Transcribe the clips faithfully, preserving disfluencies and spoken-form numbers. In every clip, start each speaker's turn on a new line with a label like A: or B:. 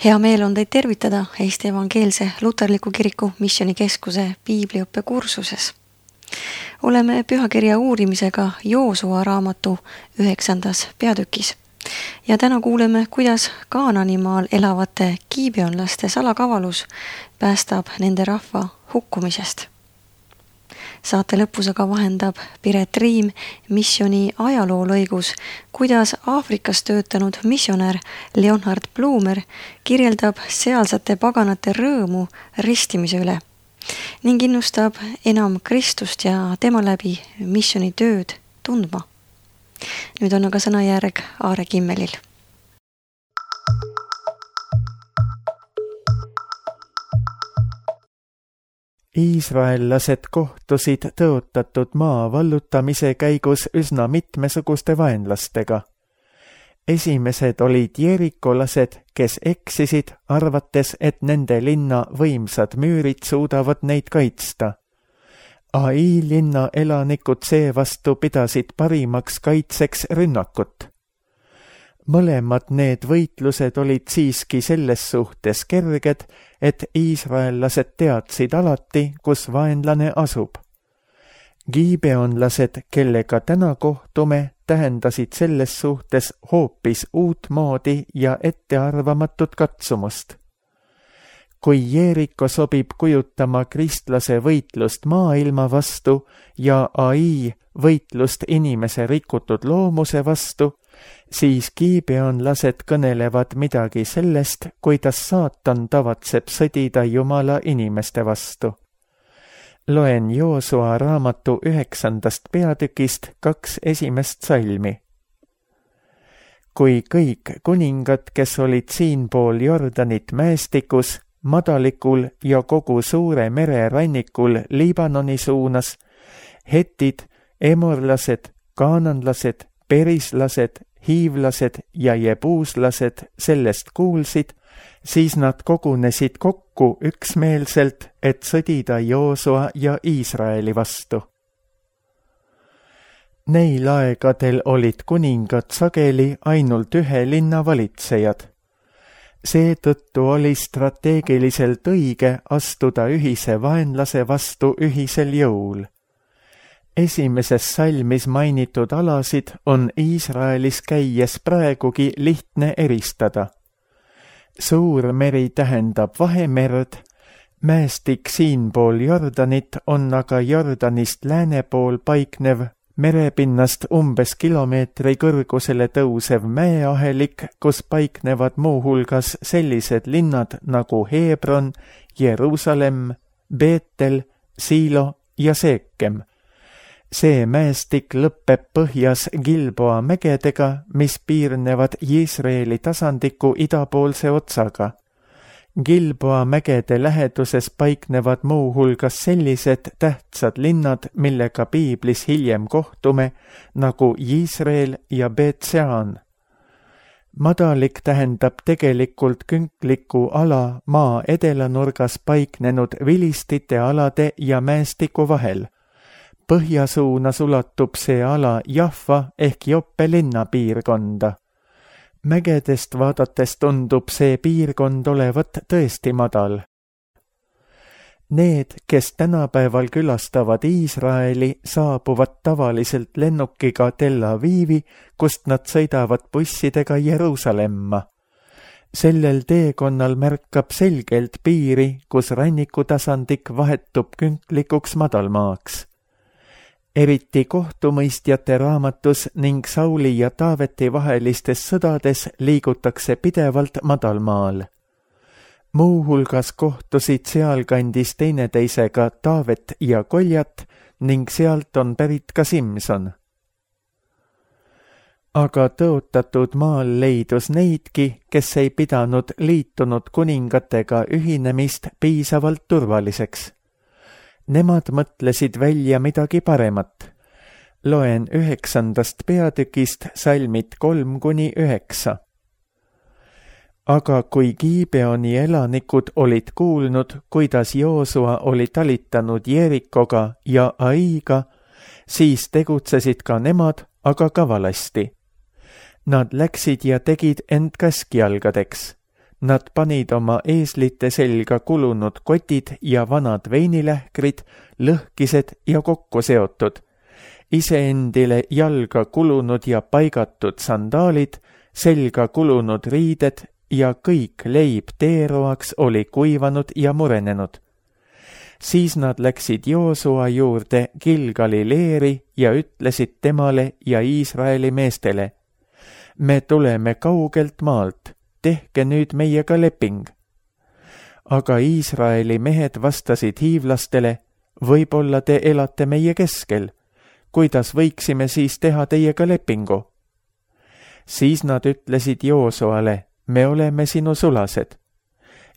A: Hea meel on teid tervitada Eesti Evangeelse Luterliku Kiriku Missioonikeskuse piibliõppe kursuses. Oleme pühakirja uurimisega Joosua raamatu üheksandas peatükis. Ja täna kuuleme, kuidas Kaananimaal elavate kiibeonlaste salakavalus päästab nende rahva hukkumisest. Saate lõpus aga vahendab Piret Riim missiooni ajaloolõigus, kuidas Aafrikas töötanud missionär Leonhard Blumer kirjeldab sealsete paganate rõõmu ristimise üle ning innustab enam Kristust ja tema läbi missiooni tööd tundma. Nüüd on aga sõnajärg Aare Kimmelil.
B: Iisraellased kohtusid tõotatud maa vallutamise käigus üsna mitmesuguste vaenlastega. Esimesed olid jeerikolased, kes eksisid, arvates, et nende linna võimsad müürid suudavad neid kaitsta. Ai linna elanikud seevastu pidasid parimaks kaitseks rünnakut. Mõlemad need võitlused olid siiski selles suhtes kerged, et iisraellased teadsid alati, kus vaenlane asub. Gibeonlased, kellega täna kohtume, tähendasid selles suhtes hoopis uut moodi ja ettearvamatut katsumust. Kui Jeeriko sobib kujutama kristlase võitlust maailma vastu ja Ai võitlust inimese rikutud loomuse vastu, siis gibeonlased kõnelevad midagi sellest, kuidas saatan tavatseb sõdida Jumala inimeste vastu. Loen Joosua raamatu üheksandast peatükist kaks esimest salmi. Kui kõik kuningad, kes olid siinpool Jordanit mäestikus, madalikul ja kogu suure mere rannikul Liibanoni suunas, hetid, emorlased, kaananlased, perislased, hiivlased ja jebuuslased sellest kuulsid, siis nad kogunesid kokku üksmeelselt, et sõdida Joosua ja Iisraeli vastu. Neil aegadel olid kuningad sageli ainult ühe linna valitsejad. Seetõttu oli strateegiliselt õige astuda ühise vaenlase vastu ühisel jõul. Esimeses salmis mainitud alasid on Iisraelis käies praegugi lihtne eristada. Suur meri tähendab Vahemerd, mäestik siinpool Jordanit on aga Jordanist lääne pool paiknev, merepinnast umbes kilomeetri kõrgusele tõusev mäeahelik, kus paiknevad muuhulgas sellised linnad nagu Hebron, Jeruusalemm, Beetel, Siilo ja Seekem. See mäestik lõppeb põhjas Gilboa mägedega, mis piirnevad Iisraeli tasandiku idapoolse otsaga. Gilboa mägede läheduses paiknevad muuhulgas sellised tähtsad linnad, millega piiblis hiljem kohtume, nagu Iisrael ja Beetsean. Madalik tähendab tegelikult künkliku ala maa edelanurgas paiknenud vilistite alade ja mäestiku vahel. Põhjasuunas ulatub see ala Jaffa ehk Joppe linna piirkonda. Mägedest vaadates tundub see piirkond olevat tõesti madal. Need, kes tänapäeval külastavad Iisraeli, saabuvad tavaliselt lennukiga Tel Avivi, kust nad sõidavad bussidega Jeruusalemma. Sellel teekonnal märkab selgelt piiri, kus rannikutasandik vahetub künklikuks madalmaaks. Eriti kohtumõistjate raamatus ning Sauli ja Taaveti vahelistes sõdades liigutakse pidevalt madalmaal. Muuhulgas kohtusid sealkandis teineteisega Taavet ja Koljat ning sealt on pärit ka Simson. Aga tõotatud maal leidus neidki, kes ei pidanud liitunud kuningatega ühinemist piisavalt turvaliseks. Nemad mõtlesid välja midagi paremat. Loen üheksandast peatükist salmid kolm kuni üheksa. Aga kui Gibeoni elanikud olid kuulnud, kuidas Joosua oli talitanud Jeerikoga ja Aiga, siis tegutsesid ka nemad, aga kavalasti. Nad läksid ja tegid end käskjalgadeks. Nad panid oma eeslite selga kulunud kotid ja vanad veinilähkrid, lõhkised ja kokku seotud, iseendile jalga kulunud ja paigatud sandaalid, selga kulunud riided ja kõik leib teeroaks oli kuivanud ja murenenud. Siis nad läksid Joosua juurde Gilgali leeri ja ütlesid temale ja Iisraeli meestele: me tuleme kaugelt maalt, tehke nüüd meiega leping. Aga Iisraeli mehed vastasid hiivlastele: võib-olla te elate meie keskel, kuidas võiksime siis teha teiega lepingu? Siis nad ütlesid Joosuale: me oleme sinu sulased.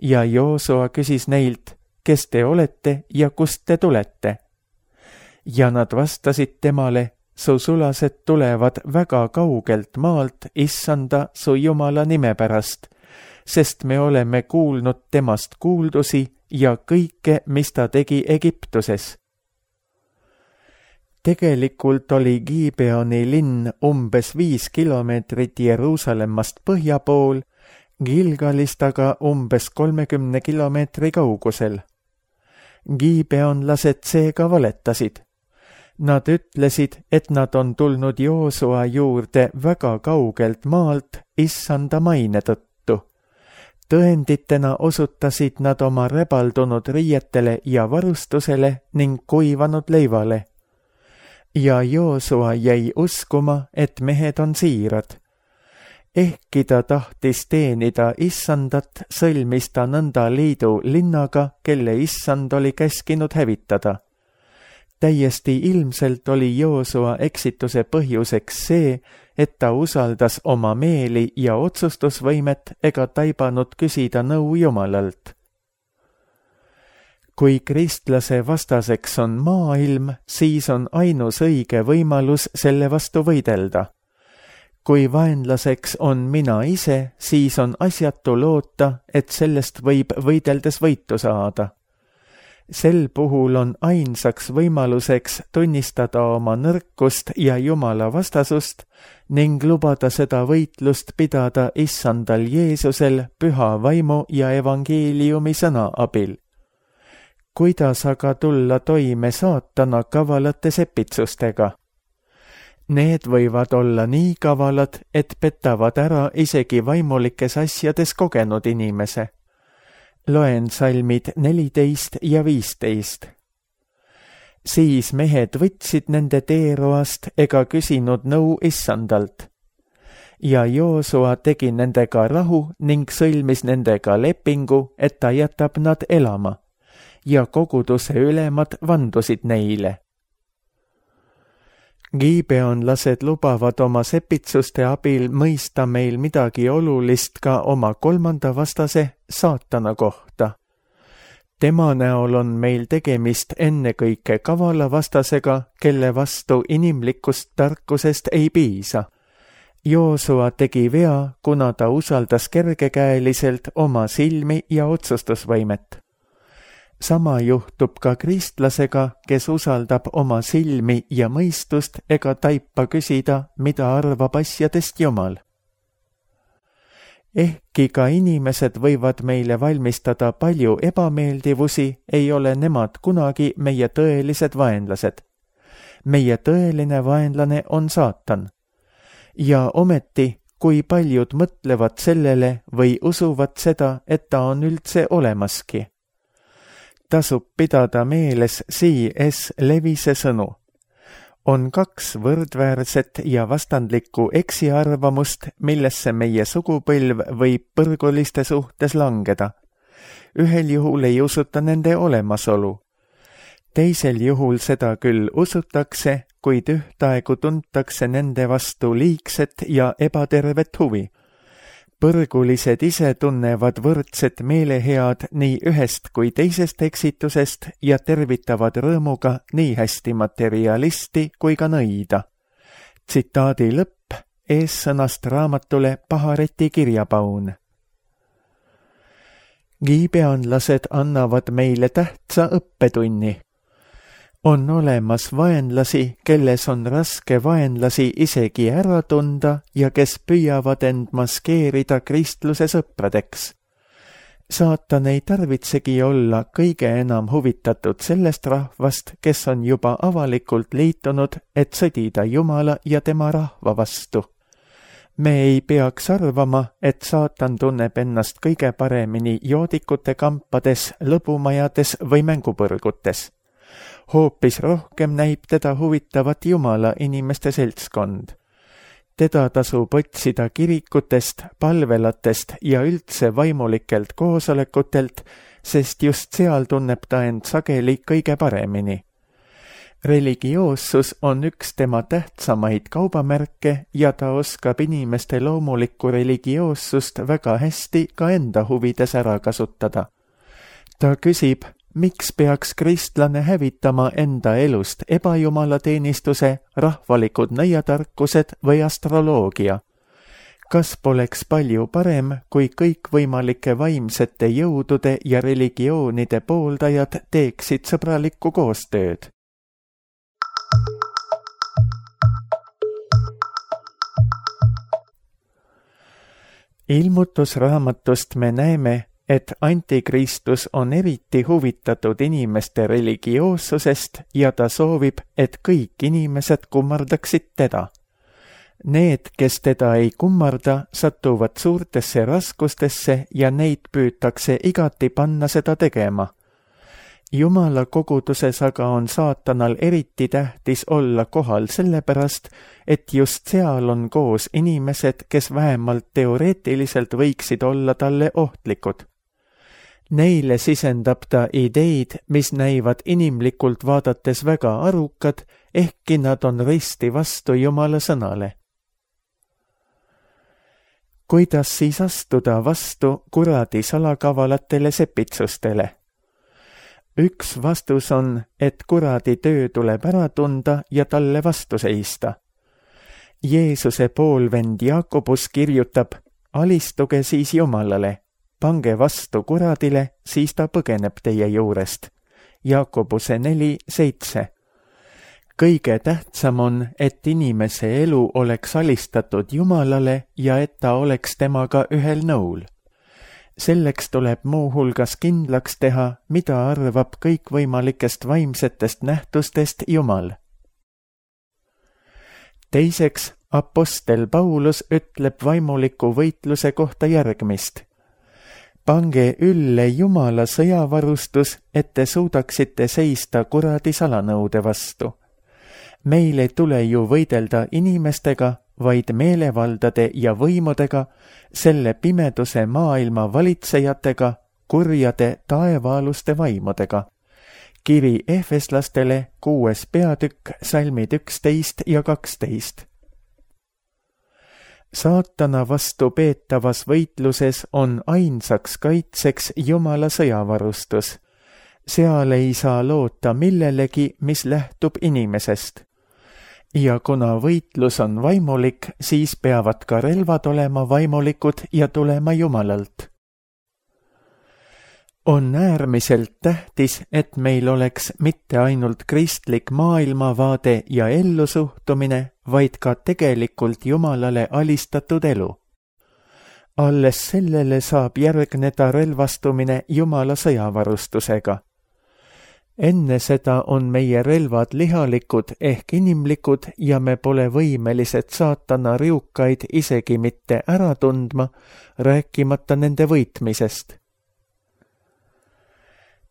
B: Ja Joosua küsis neilt: kes te olete ja kust te tulete? Ja nad vastasid temale: su sulased tulevad väga kaugelt maalt issanda su Jumala nime pärast, sest me oleme kuulnud temast kuuldusi ja kõike, mis ta tegi Egiptuses. Tegelikult oli Gibeoni linn umbes viis kilomeetrit Jeruusalemmast põhja pool, Gilgalist aga umbes kolmekümne kilomeetri kaugusel. Gibeonlased seega valetasid. Nad ütlesid, et nad on tulnud Joosua juurde väga kaugelt maalt issanda maine tõttu. Tõenditena osutasid nad oma rebaldunud riietele ja varustusele ning kuivanud leivale. Ja Joosua jäi uskuma, et mehed on siirad. Ehkki ta tahtis teenida issandat, sõlmis ta nõnda liidu linnaga, kelle issand oli käskinud hävitada. Täiesti ilmselt oli Joosua eksituse põhjuseks see, et ta usaldas oma meeli ja otsustusvõimet ega taibanud küsida nõu Jumalalt. Kui kristlase vastaseks on maailm, siis on ainus õige võimalus selle vastu võidelda. Kui vaenlaseks on mina ise, siis on asjatu loota, et sellest võib võideldes võitu saada. Sel puhul on ainsaks võimaluseks tunnistada oma nõrkust ja Jumala vastasust ning lubada seda võitlust pidada issandal Jeesusel püha vaimu ja evangeeliumi sõna abil. Kuidas aga tulla toime saatana kavalate sepitsustega? Need võivad olla nii kavalad, et petavad ära isegi vaimulikes asjades kogenud inimese. Loen salmid neliteist ja viisteist. Siis mehed võtsid nende teeroast ega küsinud nõu issandalt. Ja Joosua tegi nendega rahu ning sõlmis nendega lepingu, et ta jätab nad elama. Ja koguduse ülemad vandusid neile. Gibeonlased lubavad oma sepitsuste abil mõista meil midagi olulist ka oma kolmanda vastase, saatana kohta. Tema näol on meil tegemist ennekõike kavala vastasega, kelle vastu inimlikust tarkusest ei piisa. Joosua tegi vea, kuna ta usaldas kergekäeliselt oma silmi ja otsustusvõimet. Sama juhtub ka kristlasega, kes usaldab oma silmi ja mõistust ega taipa küsida, mida arvab asjadest Jumal. Ehkki ka inimesed võivad meile valmistada palju ebameeldivusi, ei ole nemad kunagi meie tõelised vaenlased. Meie tõeline vaenlane on saatan. Ja ometi, kui paljud mõtlevad sellele või usuvad seda, et ta on üldse olemaski. Tasub pidada meeles C S Lewise sõnu. On kaks võrdväärset ja vastandlikku eksiarvamust, millesse meie sugupõlv võib põrguliste suhtes langeda. Ühel juhul ei usuta nende olemasolu. Teisel juhul seda küll usutakse, kuid ühtaegu tuntakse nende vastu liigset ja ebatervet huvi. Põrgulised ise tunnevad võrdset meelehead nii ühest kui teisest eksitusest ja tervitavad rõõmuga nii hästi materialisti kui ka nõida. Tsitaadi lõpp eessõnast raamatule Pahareti kirjapaun. Gibeonlased annavad meile tähtsa õppetunni. On olemas vaenlasi, kelles on raske vaenlasi isegi ära tunda ja kes püüavad end maskeerida kristluse sõpradeks. Saatan ei tarvitsegi olla kõige enam huvitatud sellest rahvast, kes on juba avalikult liitunud, et sõdida Jumala ja tema rahva vastu. Me ei peaks arvama, et saatan tunneb ennast kõige paremini joodikute kampades, lõbumajades või mängupõrgutes. Hoopis rohkem näib teda huvitavat Jumala inimeste seltskond. Teda tasub otsida kirikutest, palvelatest ja üldse vaimulikelt koosolekutelt, sest just seal tunneb ta end sageli kõige paremini. Religioossus on üks tema tähtsamaid kaubamärke ja ta oskab inimeste loomulikku religioossust väga hästi ka enda huvides ära kasutada. Ta küsib, miks peaks kristlane hävitama enda elust ebajumalateenistuse, rahvalikud nõiatarkused või astroloogia? Kas poleks palju parem, kui kõikvõimalike vaimsete jõudude ja religioonide pooldajad teeksid sõbralikku koostööd? Ilmutusraamatust me näeme, et antikristus on eriti huvitatud inimeste religioossusest ja ta soovib, et kõik inimesed kummardaksid teda. Need, kes teda ei kummarda, satuvad suurtesse raskustesse ja neid püütakse igati panna seda tegema. Jumala koguduses aga on saatanal eriti tähtis olla kohal sellepärast, et just seal on koos inimesed, kes vähemalt teoreetiliselt võiksid olla talle ohtlikud. Neile sisendab ta ideid, mis näivad inimlikult vaadates väga arukad, ehkki nad on risti vastu Jumala sõnale. Kuidas siis astuda vastu kuradi salakavalatele sepitsustele? Üks vastus on, et kuradi töö tuleb ära tunda ja talle vastu seista. Jeesuse poolvend Jaakobus kirjutab, alistuge siis Jumalale, pange vastu kuradile, siis ta põgeneb teie juurest. Jaakobuse neli seitse. Kõige tähtsam on, et inimese elu oleks alistatud Jumalale ja et ta oleks temaga ühel nõul. Selleks tuleb muuhulgas kindlaks teha, mida arvab kõikvõimalikest vaimsetest nähtustest Jumal. Teiseks, apostel Paulus ütleb vaimuliku võitluse kohta järgmist. Pange ülle Jumala sõjavarustus, et te suudaksite seista kuradi salanõude vastu. Meil ei tule ju võidelda inimestega, vaid meelevaldade ja võimudega, selle pimeduse maailma valitsejatega, kurjade taevaaluste vaimudega. Kiri Efeslastele, kuues peatükk, salmid üksteist ja kaksteist. Saatana vastu peetavas võitluses on ainsaks kaitseks Jumala sõjavarustus. Seal ei saa loota millelegi, mis lähtub inimesest. Ja kuna võitlus on vaimulik, siis peavad ka relvad olema vaimulikud ja tulema Jumalalt. On äärmiselt tähtis, et meil oleks mitte ainult kristlik maailmavaade ja ellusuhtumine, vaid ka tegelikult Jumalale alistatud elu. Alles sellele saab järgneda relvastumine Jumala sõjavarustusega. Enne seda on meie relvad lihalikud ehk inimlikud ja me pole võimelised saatana riukaid isegi mitte ära tundma, rääkimata nende võitmisest.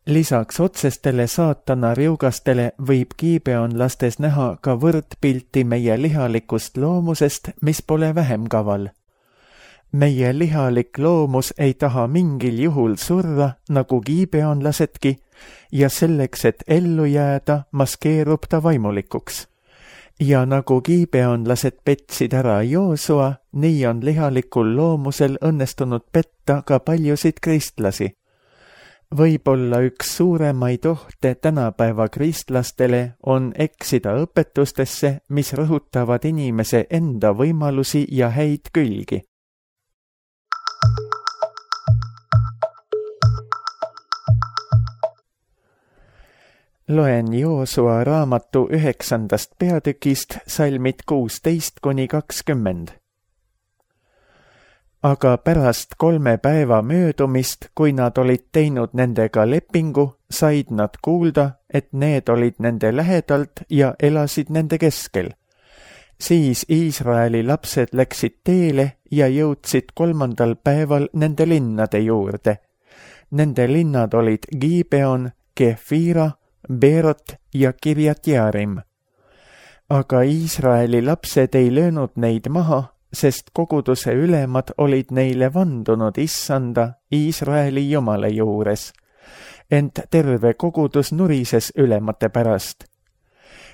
B: Lisaks otsestele saatana riugastele võib kiibeonlastes näha ka võrdpilti meie lihalikust loomusest, mis pole vähem kaval. Meie lihalik loomus ei taha mingil juhul surra, nagu kiibeonlasedki, ja selleks, et ellu jääda, maskeerub ta vaimulikuks. Ja nagu kiibeonlased petsid ära Joosua, nii on lihalikul loomusel õnnestunud petta ka paljusid kristlasi. Võib-olla üks suuremaid ohte tänapäeva kristlastele on eksida õpetustesse, mis rõhutavad inimese enda võimalusi ja häid külgi. Loen Joosua raamatu üheksandast peatükist salmid kuusteist kuni kakskümmend. aga pärast kolme päeva möödumist, kui nad olid teinud nendega lepingu, said nad kuulda, et need olid nende lähedalt ja elasid nende keskel. Siis Iisraeli lapsed läksid teele ja jõudsid kolmandal päeval nende linnade juurde. Nende linnad olid Gibeon, Kefira, Beerot ja Kirjat-Jearim. Aga Iisraeli lapsed ei löönud neid maha, sest koguduse ülemad olid neile vandunud issanda Iisraeli Jumala juures. Ent terve kogudus nurises ülemate pärast.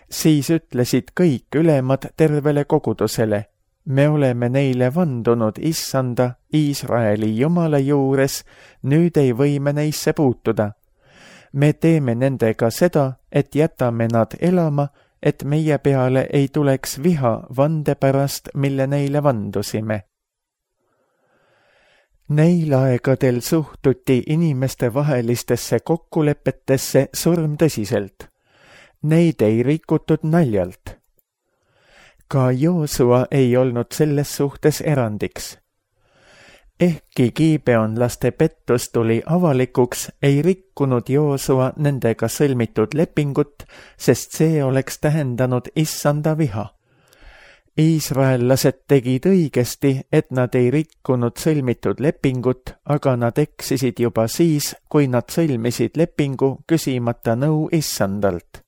B: Siis ütlesid kõik ülemad tervele kogudusele, me oleme neile vandunud issanda Iisraeli Jumala juures, nüüd ei või me neisse puutuda. Me teeme nendega seda, et jätame nad elama, et meie peale ei tuleks viha vande pärast, mille neile vandusime. Neil aegadel suhtuti inimeste vahelistesse kokkulepetesse surmtõsiselt. Neid ei rikutud naljalt. Ka Joosua ei olnud selles suhtes erandiks. Ehkki giibeonlaste pettus tuli avalikuks, ei rikkunud Joosua nendega sõlmitud lepingut, sest see oleks tähendanud issanda viha. Iisraellased tegid õigesti, et nad ei rikkunud sõlmitud lepingut, aga nad eksisid juba siis, kui nad sõlmisid lepingu küsimata nõu issandalt.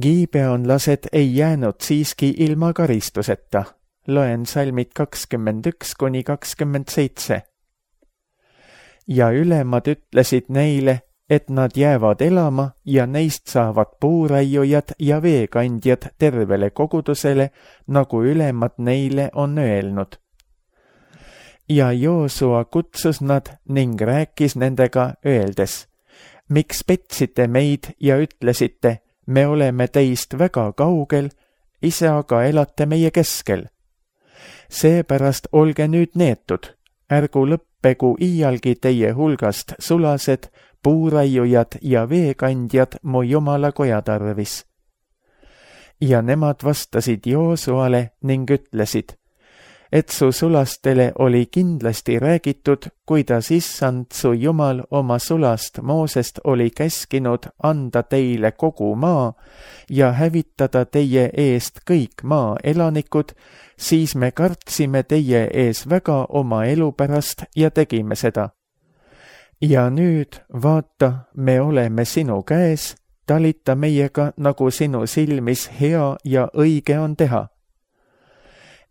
B: Giibeonlased ei jäänud siiski ilma karistuseta. Loen salmid kakskümmend üks kuni kakskümmend seitse. Ja ülemad ütlesid neile, et nad jäävad elama ja neist saavad puuraiujad ja veekandjad tervele kogudusele, nagu ülemad neile on öelnud. Ja Joosua kutsus nad ning rääkis nendega öeldes, miks petsite meid ja ütlesite, me oleme teist väga kaugel, ise aga elate meie keskel. Seepärast olge nüüd neetud, ärgu lõppegu iialgi teie hulgast sulased, puuraiujad ja veekandjad mu Jumala koja tarvis. Ja nemad vastasid Joosuale ning ütlesid, et su sulastele oli kindlasti räägitud, kuidas issand su Jumal oma sulast Moosest oli käskinud anda teile kogu maa ja hävitada teie eest kõik maa elanikud, siis me kartsime teie ees väga oma elu pärast ja tegime seda. Ja nüüd, vaata, me oleme sinu käes, talita meiega, nagu sinu silmis hea ja õige on teha.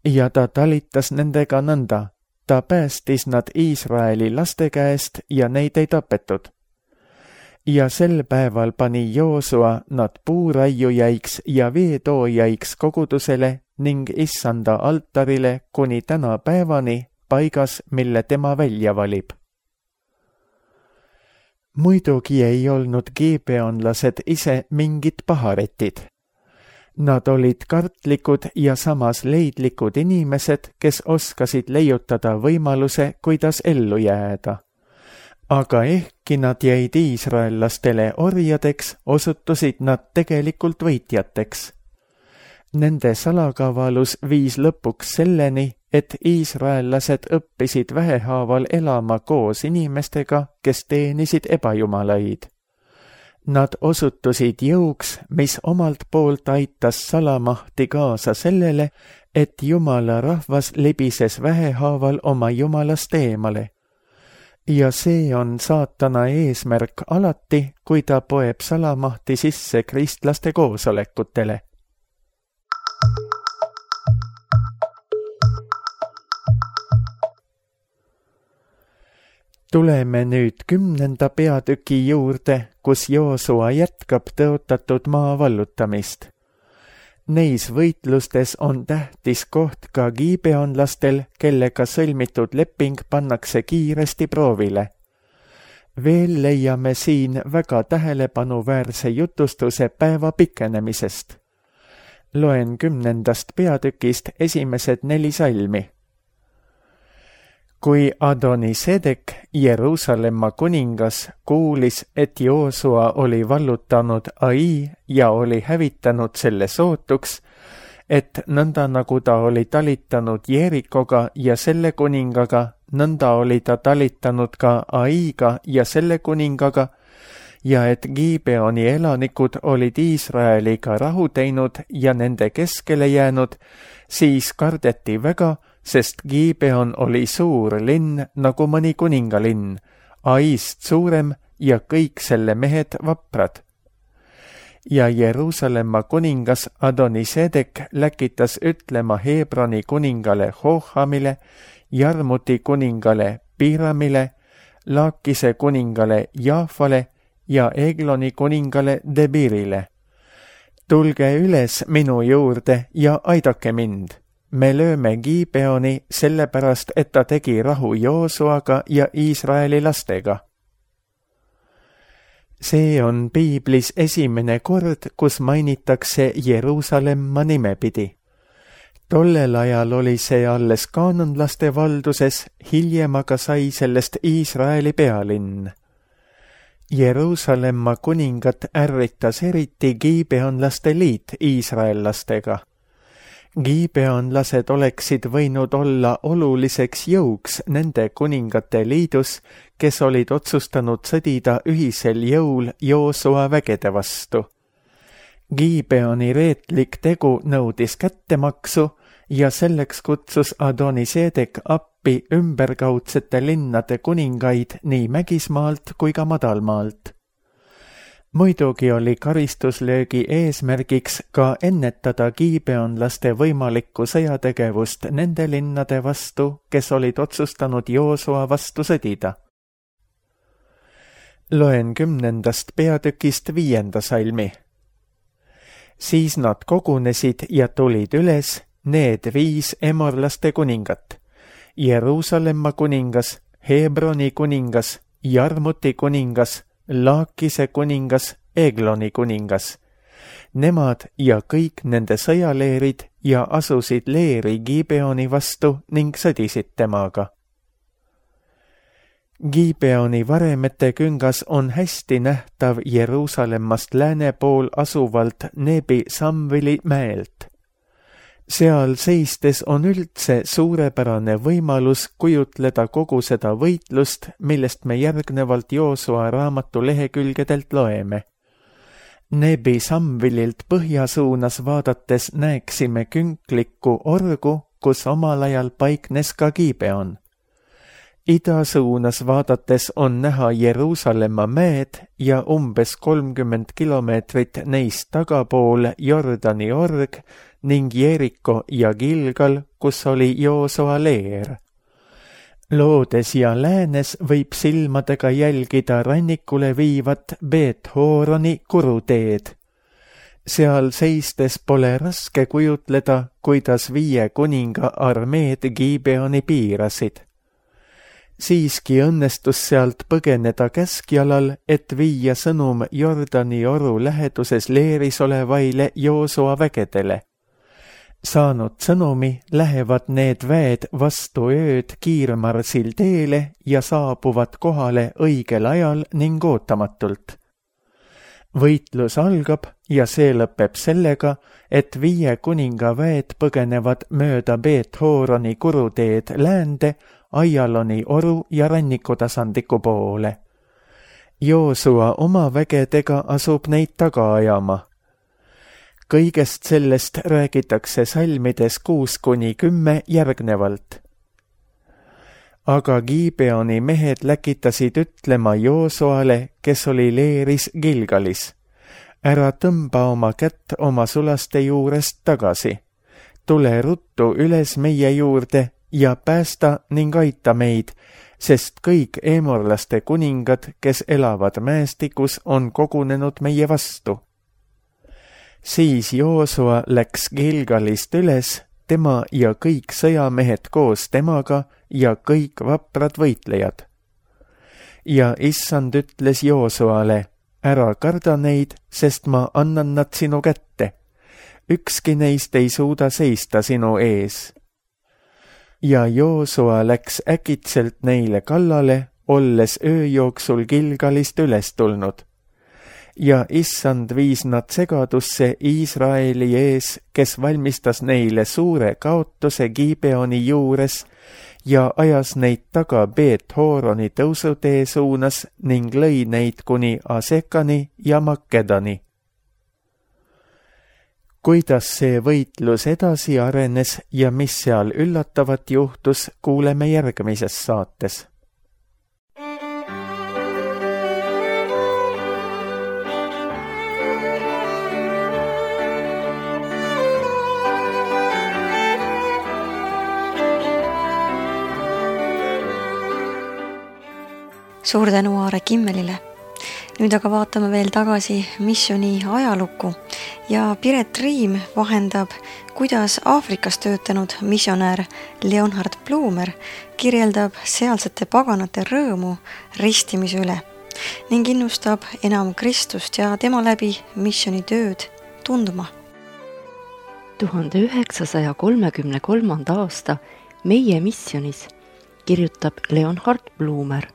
B: Ja ta talitas nendega nõnda, ta päästis nad Iisraeli laste käest ja neid ei tapetud. Ja sel päeval pani Joosua nad puuraiujaiks ja veetoojaiks kogudusele ning issanda altarile kuni täna päevani paigas, mille tema välja valib. Muidugi ei olnud giibeonlased ise mingid paharetid. Nad olid kartlikud ja samas leidlikud inimesed, kes oskasid leiutada võimaluse, kuidas ellu jääda. Aga ehkki nad jäid iisraellastele orjadeks, osutusid nad tegelikult võitjateks. Nende salakavalus viis lõpuks selleni, et iisraellased õppisid vähehaaval elama koos inimestega, kes teenisid ebajumalaid. Nad osutusid jõuks, mis omalt poolt aitas salamahti kaasa sellele, et Jumala rahvas libises vähehaaval oma Jumalast eemale. Ja see on saatana eesmärk alati, kui ta poeb salamahti sisse kristlaste koosolekutele. Tuleme nüüd kümnenda peatüki juurde, kus Joosua jätkab tõotatud maa vallutamist. Neis võitlustes on tähtis koht ka giibeonlastel, kellega sõlmitud leping pannakse kiiresti proovile. Veel leiame siin väga tähelepanuväärse jutustuse päeva pikenemisest. Loen kümnendast peatükist esimesed neli salmi. Kui Adonisedek, Jeruusalemma kuningas, kuulis, et Joosua oli vallutanud Ai ja oli hävitanud selle sootuks, et nõnda nagu ta oli talitanud Jeerikoga ja selle kuningaga, nõnda oli ta talitanud ka Aiga ja selle kuningaga, ja et Gibeoni elanikud olid Iisraeliga rahu teinud ja nende keskele jäänud, siis kardeti väga, sest Gibeon oli suur linn nagu mõni kuningalinn, Aist suurem ja kõik selle mehed vaprad. Ja Jeruusalemma kuningas Adonisedek läkitas ütlema Hebroni kuningale Hohamile, Jarmuti kuningale Piramile, Laakise kuningale Jaafale ja Egloni kuningale Debirile. Tulge üles minu juurde ja aidake mind. Me lööme Gibeoni sellepärast, et ta tegi rahu Joosuaga ja Iisraeli lastega. See on piiblis esimene kord, kus mainitakse Jeruusalemma nimepidi. Tollel ajal oli see alles kaananlaste valduses, hiljem aga sai sellest Iisraeli pealinn. Jeruusalemma kuningat ärritas eriti gibeonlaste liit iisraellastega. Gibeonlased oleksid võinud olla oluliseks jõuks nende kuningate liidus, kes olid otsustanud sõdida ühisel jõul Joosua vägede vastu. Gibeoni reetlik tegu nõudis kättemaksu ja selleks kutsus Adonisedek appi ümberkaudsete linnade kuningaid nii mägismaalt kui ka madalmaalt. Muidugi oli karistuslöögi eesmärgiks ka ennetada gibeonlaste võimalikku sõjategevust nende linnade vastu, kes olid otsustanud Joosua vastu sõdida. Loen kümnendast peatükist viienda salmi. Siis nad kogunesid ja tulid üles, need viis emorlaste kuningat, Jeruusalemma kuningas, Hebroni kuningas, Jarmuti kuningas, Laakise kuningas, Egloni kuningas. Nemad ja kõik nende sõjaleerid ja asusid leeri Gibeoni vastu ning sõdisid temaga. Gibeoni varemete küngas on hästi nähtav Jeruusalemmast lääne pool asuvalt Nebi Samvili mäelt. Seal seistes on üldse suurepärane võimalus kujutleda kogu seda võitlust, millest me järgnevalt Joosua raamatu lehekülgedelt loeme. Nebi Samvililt põhjasuunas vaadates näeksime künklikku orgu, kus omal ajal paiknes ka Gibeon. Idasuunas vaadates on näha Jeruusalemma mäed ja umbes kolmkümmend kilomeetrit neist tagapool Jordani org ning Jeeriko ja Gilgal, kus oli Joosua leer. Loodes ja läänes võib silmadega jälgida rannikule viivat Beet-Horoni kuruteed. Seal seistes pole raske kujutleda, kuidas viie kuninga armeed Gibeoni piirasid. Siiski õnnestus sealt põgeneda käskjalal, et viia sõnum Jordani oru läheduses leeris olevaile Joosua vägedele. Saanud sõnumi lähevad need väed vastu ööd kiirmarsil teele ja saabuvad kohale õigel ajal ning ootamatult. Võitlus algab ja see lõpeb sellega, et viie kuninga väed põgenevad mööda Beet-Horoni kuruteed läände, Aialoni oru ja rannikutasandliku poole. Joosua oma vägedega asub neid taga ajama. Kõigest sellest räägitakse salmides kuus kuni kümme järgnevalt. Aga Gibeoni mehed läkitasid ütlema Joosuale, kes oli leeris Gilgalis. Ära tõmba oma kätt oma sulaste juurest tagasi. Tule ruttu üles meie juurde ja päästa ning aita meid, sest kõik eemorlaste kuningad, kes elavad mäestikus, on kogunenud meie vastu. Siis Joosua läks Gilgalist üles, tema ja kõik sõjamehed koos temaga ja kõik vaprad võitlejad. Ja issand ütles Joosuale, ära karda neid, sest ma annan nad sinu kätte. Ükski neist ei suuda seista sinu ees. Ja Joosua läks äkitselt neile kallale, olles öö jooksul Gilgalist üles tulnud. ja issand viis nad segadusse Iisraeli ees, kes valmistas neile suure kaotuse Gibeoni juures ja ajas neid taga Beet-Horoni tõusutee suunas ning lõi neid kuni Asekani ja Makedani. Kuidas see võitlus edasi arenes ja mis seal üllatavat juhtus, kuuleme järgmises saates.
A: Suur tänu Aare Kimmelile. Nüüd aga vaatame veel tagasi missiooni ajalukku ja Piret Riim vahendab, kuidas Aafrikas töötanud missionär Leonhard Blumer kirjeldab sealsete paganate rõõmu ristimise üle ning innustab enam Kristust ja tema läbi missionitööd tundma.
C: tuhande üheksasaja kolmekümne kolmanda aasta Meie missionis kirjutab Leonhard Blumer.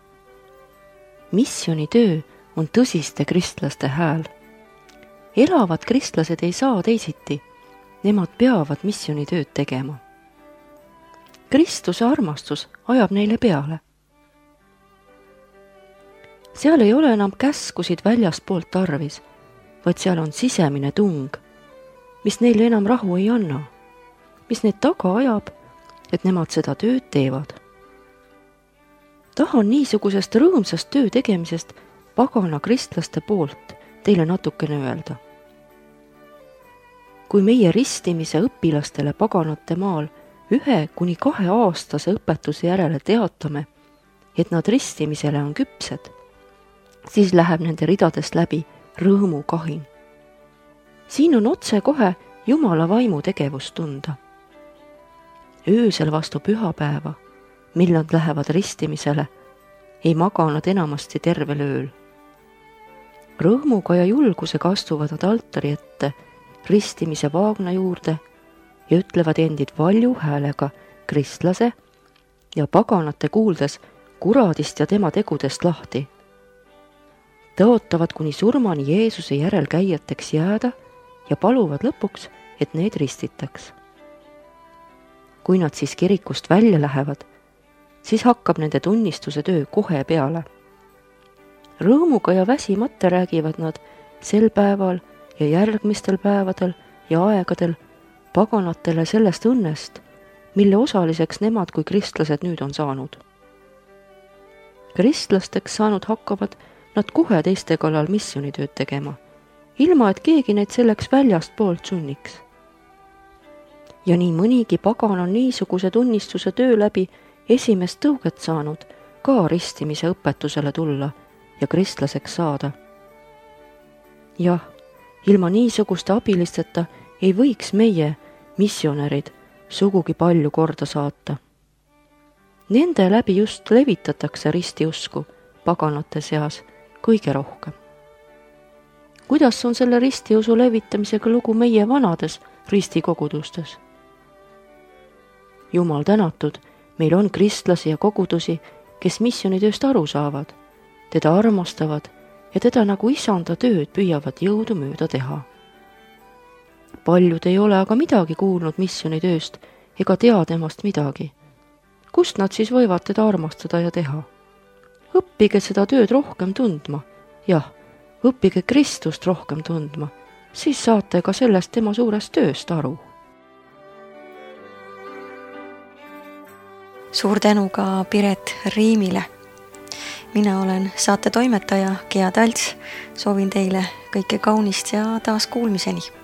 C: Missionitöö on tõsiste kristlaste hääl. Elavad kristlased ei saa teisiti, nemad peavad missionitööd tegema. Kristuse armastus ajab neile peale. Seal ei ole enam käskusid väljaspoolt tarvis, vaid seal on sisemine tung, mis neile enam rahu ei anna, mis neid taga ajab, et nemad seda tööd teevad. Tahan niisugusest rõõmsast töö tegemisest pagana kristlaste poolt teile natukene öelda. Kui meie ristimise õpilastele paganate maal ühe kuni kahe aastase õpetuse järele teatame, et nad ristimisele on küpsed, siis läheb nende ridadest läbi rõõmukahin. Siin on otse kohe Jumala vaimu tegevust tunda. Öösel vastu pühapäeva, mil nad lähevad ristimisele, ei maga nad enamasti tervel ööl. Rõõmuga ja julgusega astuvad nad altari ette ristimise vaagna juurde ja ütlevad endid valju häälega kristlase ja paganate kuuldes kuradist ja tema tegudest lahti. Tõotavad kuni surmani Jeesuse järelkäijateks jääda ja paluvad lõpuks, et need ristitaks. Kui nad siis kirikust välja lähevad, siis hakkab nende tunnistuse töö kohe peale. Rõõmuga ja väsimata räägivad nad sel päeval ja järgmistel päevadel ja aegadel paganatele sellest õnnest, mille osaliseks nemad kui kristlased nüüd on saanud. Kristlasteks saanud hakkavad nad kohe teiste kallal missionitööd tegema, ilma et keegi neid selleks väljast poolt sunniks. Ja nii mõnigi pagan on niisuguse tunnistuse töö läbi esimest tõuget saanud ka ristimise õpetusele tulla ja kristlaseks saada. Jah, ilma niisuguste abilisteta ei võiks meie missionärid sugugi palju korda saata. Nende läbi just levitatakse ristiusku paganate seas kõige rohkem. Kuidas on selle ristiusu levitamisega lugu meie vanades ristikogudustes? Jumal tänatud, meil on kristlasi ja kogudusi, kes missionitööst aru saavad, teda armastavad ja teda nagu isanda tööd püüavad jõudu mööda teha. Paljud ei ole aga midagi kuulnud missionitööst ega tea temast midagi. Kust nad siis võivad teda armastada ja teha? Õppige seda tööd rohkem tundma. Jah, õppige Kristust rohkem tundma, siis saate ka sellest tema suurest tööst aru.
A: Suur tänu ka Piret Riimile. Mina olen saate toimetaja Gea Talts. Soovin teile kõike kaunist ja taas kuulmiseni.